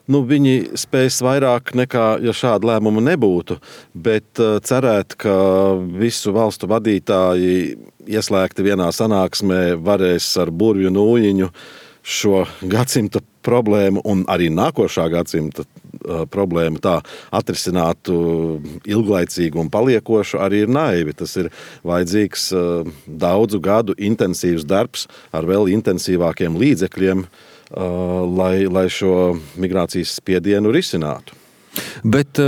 Viņi spēs vairāk nekā, ja šāda lēmuma nebūtu, bet cerēt, ka visu valstu vadītāji ieslēgti vienā sanāksmē varēs ar burvju nūjiņu šo gadsimta problēmu un arī nākošā gadsimta problēmu tā atrisinātu ilglaicīgu un paliekošu, arī ir naivi. Tas ir vajadzīgs daudzu gadu intensīvs darbs ar vēl intensīvākiem līdzekļiem, lai šo migrācijas spiedienu risinātu. Bet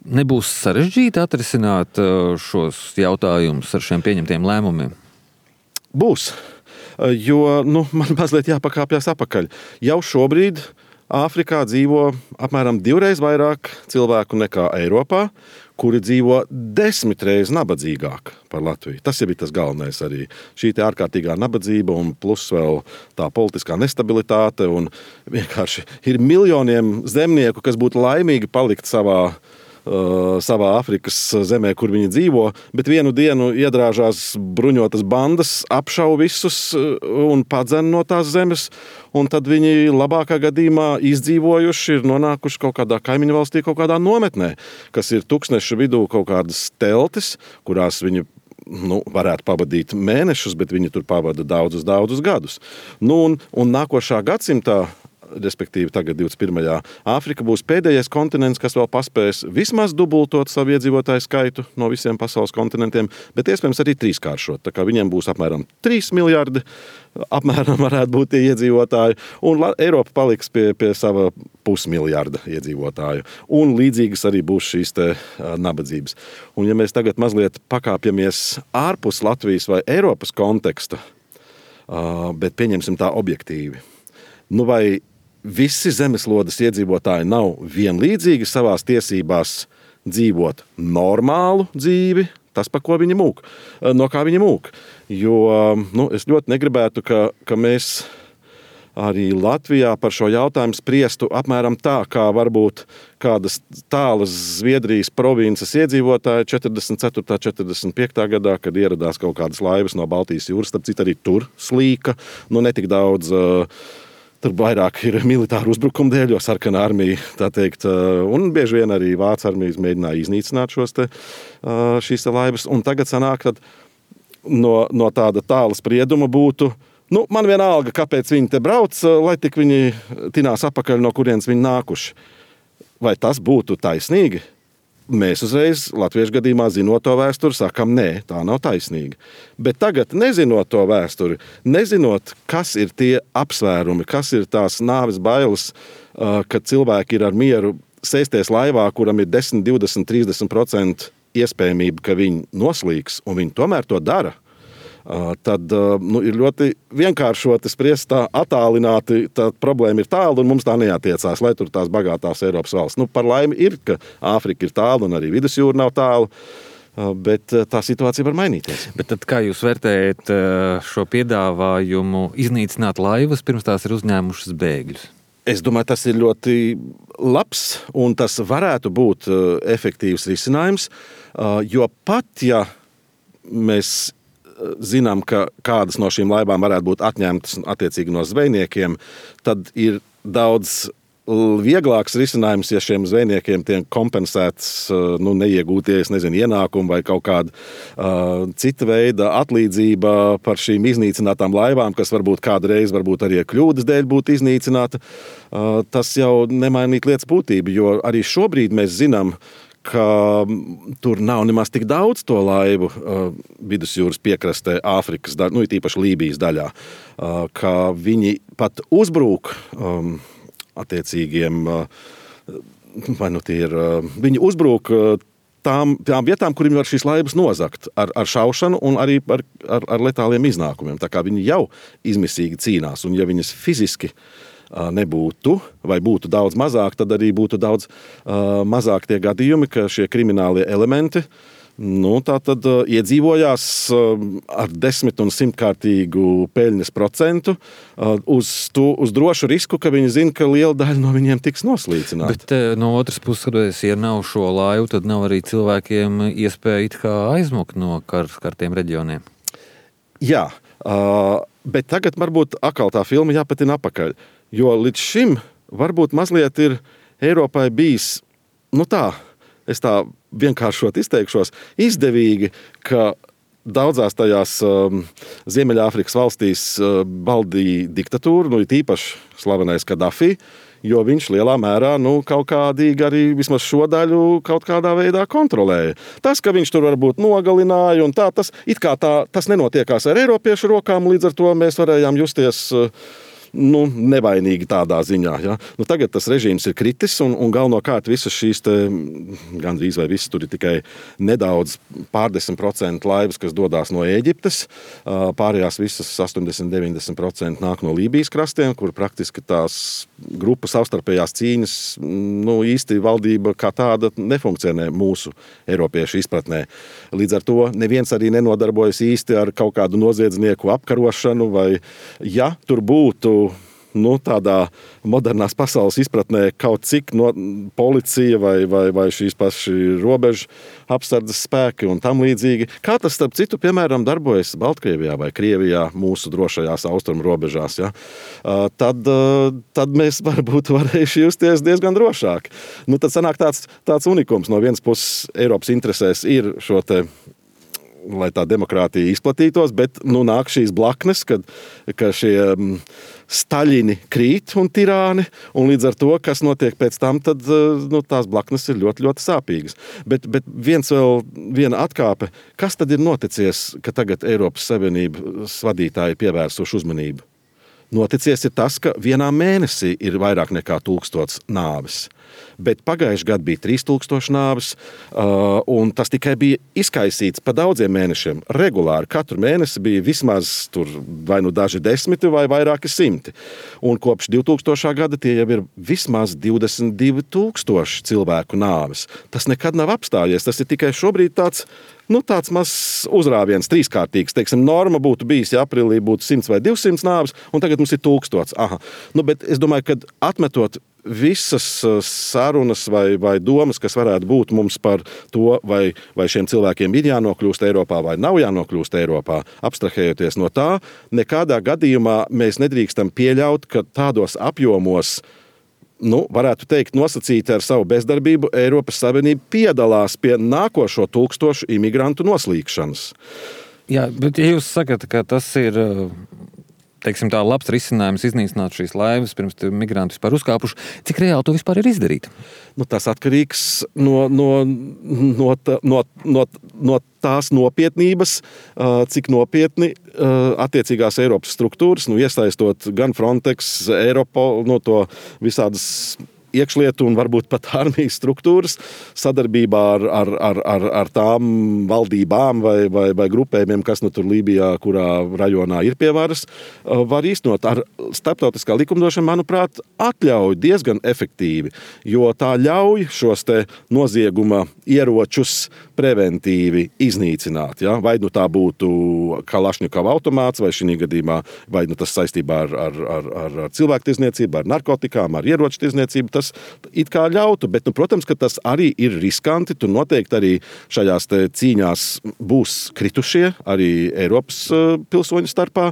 nebūs sarežģīti atrisināt šos jautājumus ar šiem pieņemtiem lēmumiem? Būs, jo man mazliet jāpakāpjas apakaļ. Jau šobrīd Āfrikā dzīvo apmēram 2 reizes vairāk cilvēku nekā Eiropā, kuri dzīvo 10 reizes nabadzīgāk par Latviju. Tas jau ir tas galvenais arī. Šī ārkārtīgā nabadzība un plus vēl tā politiskā nestabilitāte. Un vienkārši ir miljoniem zemnieku, kas būtu laimīgi palikt savā Āfrikas zemē, kur viņi dzīvo, bet vienu dienu iedrāžās bruņotas bandas, apšauj visus un padzen no tās zemes, un tad viņi labākā gadījumā izdzīvojuši ir nonākuši kaut kādā kaimiņu valstī, kaut kādā nometnē, kas ir tūkstneša vidū kaut kādas teltis, kurās viņi varētu pavadīt mēnešus, bet viņi tur pavada daudzus gadus. Un nākošā gadsimtā, respektīvi tagad 21. Āfrika būs pēdējais kontinents, kas vēl paspēs vismaz dubultot savu iedzīvotāju skaitu no visiem pasaules kontinentiem, bet iespējams arī 3-kāršot. Tā kā viņiem būs apmēram 3 miljardi, apmēram varētu būt tie iedzīvotāji, un Eiropa paliks pie sava 0,5 miljarda iedzīvotāju. Un līdzīgas arī būs šīs te nabadzības. Un ja mēs tagad mazliet pakāpjamies ārpus Latvijas vai Eiropas konteksta, bet pieņemsim tā objektīvi, vai visi zemeslodes iedzīvotāji nav vienlīdzīgi savās tiesībās dzīvot normālu dzīvi, tas, pa ko viņi mūk, no kā viņi mūk. Jo es ļoti negribētu, ka mēs arī Latvijā par šo jautājumu spriestu apmēram tā, kā varbūt kādas tālas Zviedrijas provinces iedzīvotāji 44. 45. gadā, kad ieradās kaut kādas laivas no Baltijas jūras, starp citu arī tur slīka, netik daudz. Tur vairāk ir militāru uzbrukumu dēļ, jo sarkanā armija, tā teikt, un bieži vien arī Vācu armijas mēģināja iznīcināt šīs laivas. Un tagad sanāk, tad no tāda tāla sprieduma būtu, man vienalga, kāpēc viņi te brauc, lai tik viņi tinās apakaļ, no kurienes viņi nākuši. Vai tas būtu taisnīgi? Mēs uzreiz latviešu gadījumā, zinot to vēsturi, sakam, nē, tā nav taisnīga. Bet tagad, nezinot to vēsturi, nezinot, kas ir tie apsvērumi, kas ir tās nāves bailes, kad cilvēki ir ar mieru sēsties laivā, kuram ir 10, 20, 30% iespējamība, ka viņi noslīgs, un viņi tomēr to dara, tad ir ļoti vienkāršoti spriest tā attālināti, tā problēma ir tālu un mums tā neatiecās, lai tur tās bagātās Eiropas valsts. Par laimi ir, ka Āfrika ir tālu un arī vidusjūra nav tālu, bet tā situācija var mainīties. Bet tad kā jūs vērtējat šo piedāvājumu iznīcināt laivas, pirms tās ir uzņēmušas bēgļus? Es domāju, tas ir ļoti labs un tas varētu būt efektīvs risinājums, jo pat, ja mēs zinām, ka kādas no šīm laivām varētu būt atņemtas attiecīgi no zvejniekiem, tad ir daudz vieglāks risinājums, ja šiem zvejniekiem tiek kompensēts neiegūties, ienākumi vai kaut kāda cita veida atlīdzība par šīm iznīcinātām laivām, kas varbūt kādreiz arī kļūdas dēļ būtu iznīcināta. Tas jau nemainīt lietas būtību, jo arī šobrīd mēs zinām, ka tur nav nemaz tik daudz to laivu vidusjūras piekrastē Āfrikas, īpaši Lībijas daļā, ka viņi pat uzbrūk attiecīgiem, viņi uzbrūk tām vietām, kur viņi var šīs laivas nozagt ar šaušanu un arī ar letāliem iznākumiem. Tā kā viņi jau izmisīgi cīnās, un ja viņas fiziski nebūtu, vai būtu daudz mazāk, tad arī būtu daudz mazāk tie gadījumi, ka šie kriminālie elementi tātad iedzīvojās ar 10 un 100-kārtīgu peļņas procentu uz drošu risku, ka viņi zina, ka liela daļa no viņiem tiks noslīcināta. Bet no otras puses, ja nav šo laivu, tad nav arī cilvēkiem iespēja it kā aizmukt no kartiem reģioniem. Jā, bet tagad varbūt atkal tā filma jāpatina apakaļ. Jo līdz šim varbūt mazliet ir Eiropai bijis, es tā vienkāršot izteikšos, izdevīgi, ka daudzās tajās Ziemeļāfrikas valstīs valdīja diktatūra, īpaši slavenais Kadafi, jo viņš lielā mērā kaut kādīgi arī vismaz šo daļu kaut kādā veidā kontrolēja. Tas, ka viņš tur varbūt nogalināja, un tas nenotiekās ar eiropiešu rokām, līdz ar to mēs varējām justies nevainīgi tādā ziņā. Ja? Tagad tas režīms ir kritis, un galvenokārt visas šīs gandrīz vai visas tur ir tikai nedaudz pārdesmit % laivas, kas dodās no Ēģiptes. Pārējās visas 80–90% nāk no Lībijas krastiem, kur praktiski tās grupas savstarpējās cīņas, īsti valdība kā tāda nefunkcionē mūsu eiropiešu izpratnē. Līdz ar to neviens arī nenodarbojas īsti ar kaut kādu noziedznieku apkarošanu, vai ja tur būtu tādā modernās pasaules izpratnē kaut cik policija vai šīs paši robežu apsardzes spēki un tam līdzīgi. Kā tas, starp citu, piemēram, darbojas Baltkrievijā vai Krievijā mūsu drošajās austrumu robežās, ja? Tad mēs varbūt varējuši justies diezgan drošāk. Tad sanāk tāds unikums. No vienas puses Eiropas interesēs ir šo lai tā demokrātija izplatītos, bet nāk šīs blaknes, ka šie staļini krīt un tirāni, un līdz ar to, kas notiek pēc tam, tad tās blaknes ir ļoti, ļoti sāpīgas. Bet viena atkāpe, kas tad ir noticies, ka tagad Eiropas Savienības vadītāji pievērsuši uzmanību? Noticies ir tas, ka vienā mēnesī ir vairāk nekā 1000 nāves. Bet pagājuši gadu bija 3000 nāves, un tas tikai bija izkaisīts pa daudziem mēnešiem. Regulāri katru mēnesi bija vismaz tur vai daži 10 vai vairāki 100. Un kopš 2000. gada tie jau ir vismaz 22,000 cilvēku nāves. Tas nekad nav apstājies, tas ir tikai šobrīd tāds mazs uzrāviens, trīskārtīgs. Teiksim, norma būtu bijis, ja aprīlī būtu 100 vai 200 nāves, un tagad mums ir 1000. Aha. Bet es domāju, ka atmetot visas sarunas vai domas, kas varētu būt mums par to, vai šiem cilvēkiem ir jānokļūst Eiropā vai nav jānokļūst Eiropā, abstrahējoties no tā, nekādā gadījumā mēs nedrīkstam pieļaut, ka tādos apjomos, varētu teikt, nosacīti ar savu bezdarbību, Eiropas Savienība piedalās pie nākošo 1000 imigrantu noslīkšanas. Jā, bet ja jūs sakat, ka tas ir, teiksim tā, labs risinājums iznīcināt šīs laivas, pirms migranti vispār uzkāpuši, cik reāli to vispār ir izdarīt? Tas atkarīgs no tās nopietnības, cik nopietni attiecīgās Eiropas struktūras, iesaistot gan Frontex, Eiropol, to visādas iekšlietu un varbūt pat armijas struktūras sadarbībā ar tām valdībām vai grupējumiem, kas tur Lībijā, kurā rajonā ir pie varas, var īstenot. Ar starptautiskā likumdošana, manuprāt, atļauj diezgan efektīvi, jo tā ļauj šos nozieguma ieročus preventīvi iznīcināt. Ja? Vai tā būtu Kalašņikova automāts, vai šī gadījumā, vai tas saistībā ar cilvēktirzniecību, ar narkotikām, ar ieroču tirzniecību, tas it kā ļautu, bet, protams, ka tas arī ir riskanti. Tur noteikti arī šajās cīņās būs kritušie, arī Eiropas pilsoņu starpā.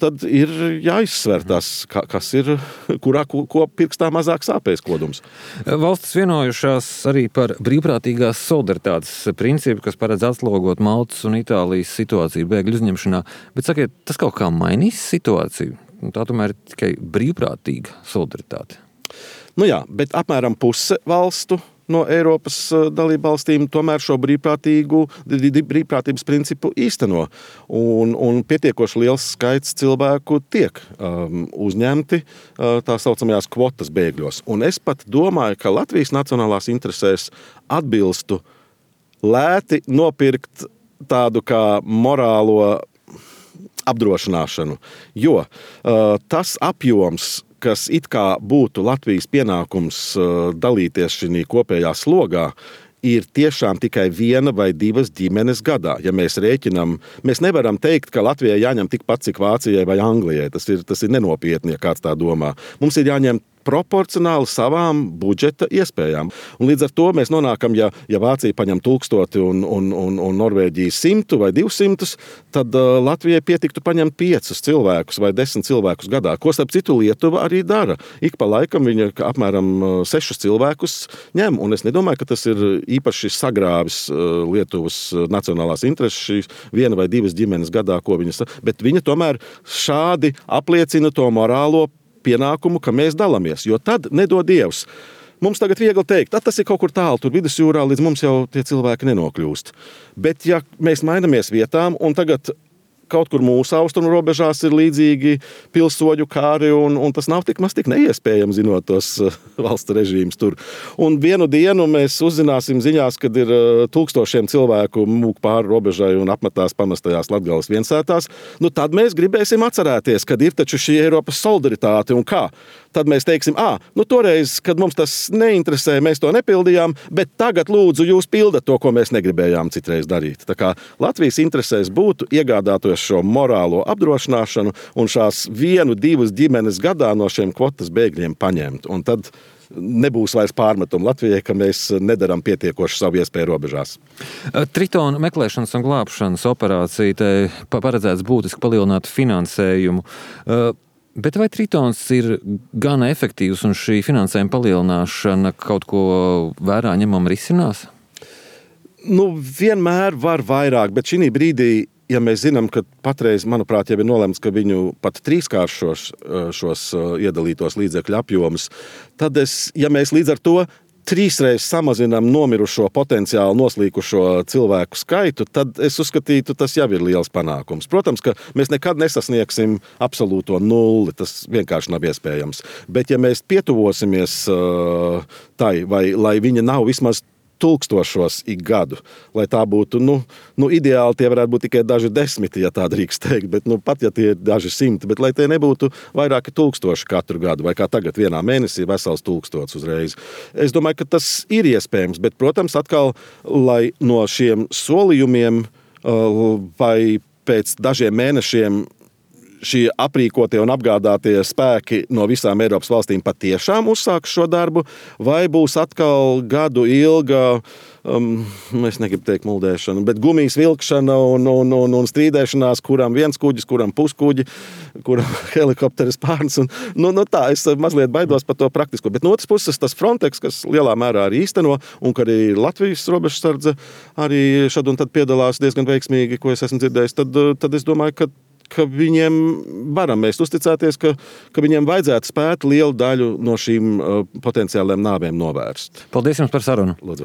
Tad ir jāizsver tas, kas ir, ko pirkstā mazāk sāpēs kodums. Valstis vienojušās arī par brīvprātīgās solidaritātes principu, kas paredz atslogot Maltas un Itālijas situāciju bēgļu uzņemšanā. Bet sakiet, tas kaut kā mainīs situāciju? Tā tomēr ir tikai brīvprātīga solidaritāte. Jā, bet apmēram puse valstu no Eiropas dalībvalstīm tomēr šo brīvprātības principu īsteno. Un pietiekoši liels skaits cilvēku tiek uzņemti tā saucamajās kvotas bēgļos. Un es pat domāju, ka Latvijas nacionālās interesēs atbilstu lēti nopirkt tādu kā morālo apdrošināšanu. Jo tas apjoms, kas it kā būtu Latvijas pienākums dalīties šī kopējā slogā, ir tiešām tikai 1 vai 2 ģimenes gadā. Ja mēs rēķinām, mēs nevaram teikt, ka Latvijai jāņem tikpat, cik Vācijai vai Anglijai. Tas ir nenopietni, ja kāds tā domā. Mums ir jāņem proporcionāli savām budžeta iespējām. Un līdz ar to mēs nonākam, ja Vācija paņem 1000 un Norvēģija 100 vai 200, tad Latvijai pietiktu paņemt 5 cilvēkus vai 10 cilvēkus gadā, ko starp citu Lietuva arī dara. Ik pa laikam viņa apmēram 6 cilvēkus ņem, un es nedomāju, ka tas ir īpaši sagrāvis Lietuvas nacionālās intereses, šīs 1 vai 2 ģimenes gadā, ko viņas, bet viņa tomēr šādi apliecina to morālo pienākumu, ka mēs dalamies, jo tad nedod Dievs. Mums tagad viegli teikt, tas ir kaut kur tālu, tur vidusjūrā, līdz mums jau tie cilvēki nenokļūst. Bet ja mēs mainamies vietām un tagad kaut kur mūsu austrumu robežās ir līdzīgi pilsoņu kāri, un tas nav tik neiespējami, zinot tos valsts režīmus tur. Un vienu dienu mēs uzzināsim ziņās, kad ir 1000 cilvēku mūk pāri robežai un apmetās pamestajās Latgales viensētās. Tad mēs gribēsim atcerēties, kad ir taču šī Eiropas solidaritāte un kā. Tad mēs teiksim, toreiz, kad mums tas neinteresē, mēs to nepildījām, bet tagad lūdzu jūs pildat to, ko mēs negribējām citreiz darīt. Tā kā Latvijas interesēs būtu iegādātos šo morālo apdrošināšanu un šās 1-2 ģimenes gadā no šiem kvotas bēgļiem paņemt. Un tad nebūs vairs pārmetumu Latvijai, ka mēs nedaram pietiekoši savu iespēju robežās. Tritona meklēšanas un glābšanas operācija paredzēts būtiski palielināt finansējumu. Bet vai Tritons ir gana efektīvs un šī finansējuma palielināšana kaut ko vērā ņemam risinās? Vienmēr var vairāk, bet šī brīdī, ja mēs zinām, ka patreiz, manuprāt, jau ir nolemts, ka viņu pat 3-kāršos šos iedalītos līdzekļu apjomus, tad ja mēs līdz ar to 3 samazinām nomirušo potenciāli noslīkušo cilvēku skaitu, tad es uzskatītu, tas jau ir liels panākums. Protams, ka mēs nekad nesasniegsim absolūto nulli, tas vienkārši nav iespējams. Bet ja mēs pietuvosimies tai, vai lai viņa nav vismaz 1000 ik gadu, lai tā būtu, ideāli tie varētu būt tikai daži 10, ja tā drīkst teikt, bet pat ja tie ir daži 100, bet lai tie nebūtu vairāki 1000 katru gadu, vai kā tagad vienā mēnesī vesels 1000 uzreiz. Es domāju, ka tas ir iespējams, bet, protams, atkal, lai no šiem solījumiem vai pēc dažiem mēnešiem šie aprīkotie un apgādātie spēki no visām Eiropas valstīm patiešām uzsāks šo darbu, vai būs atkal gadu ilga, es negribu teikt muldēšana, bet gumijas vilkšana un strīdēšanās, kuram viens kuģis, kuram puskuģi, kuram helikopteris pārnes. Tā, es mazliet baidos par to praktisko. Bet no otras puses, tas Frontex, kas lielā mērā arī īsteno, un ka arī Latvijas robežsardze arī šad un tad piedalās diezgan veiksmīgi, ko es esmu dzirdējis, tad es domāju, ka viņiem varam mēs uzticēties, ka viņiem vajadzētu spēt lielu daļu no šīm potenciāliem nāvēm novērst. Paldies jums par sarunu. Lūdzu.